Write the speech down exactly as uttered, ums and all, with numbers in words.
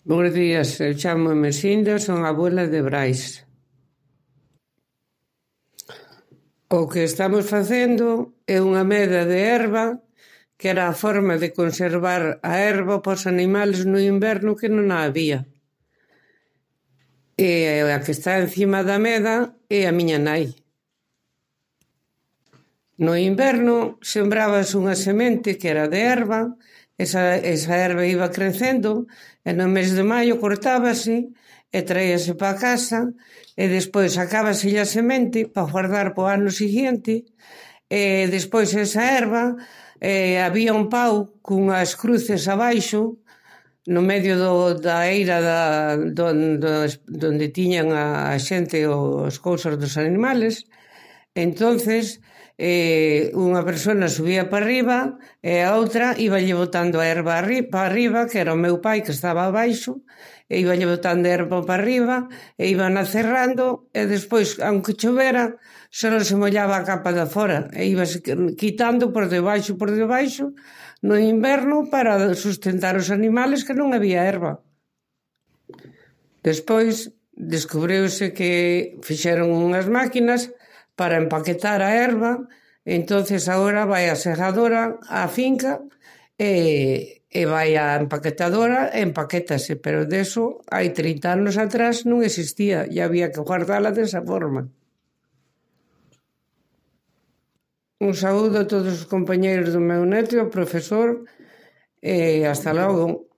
Bos días, eu chámome Sinda, son abuela de Brais. O que estamos facendo é unha meda de herba, que era a forma de conservar a herba para os animales no inverno que non a había. E a que está encima da meda é a miña nai. No inverno sembrábase unha semente que era de herba, esa, esa herba iba crecendo e no mes de maio cortábase e traíase para casa e despois sacábase a semente para guardar para o ano seguinte e despois esa herba eh, había un pau cunhas cruces abaixo no medio do, da eira da, donde, donde tiñan a, a xente os cousas dos animales. Entonces eh, unha persona subía para arriba e a outra iba lle botando a herba para arriba, que era o meu pai que estaba abaixo, e iba lle botando a herba para arriba e iban acerrando e despois, aunque chovera, só se mollaba a capa da fora e iba quitando por debaixo por debaixo no inverno para sustentar os animales que non había herba. Despois descubriuse que fixeron unhas máquinas para empaquetar a herba, entonces agora vai a segadora á finca e, e vai a empaquetadora e empaquétase, pero deso hai trinta anos atrás non existía e había que guardala desa forma. Un saúdo a todos os compañeiros do meu neto e ao profesor e hasta logo.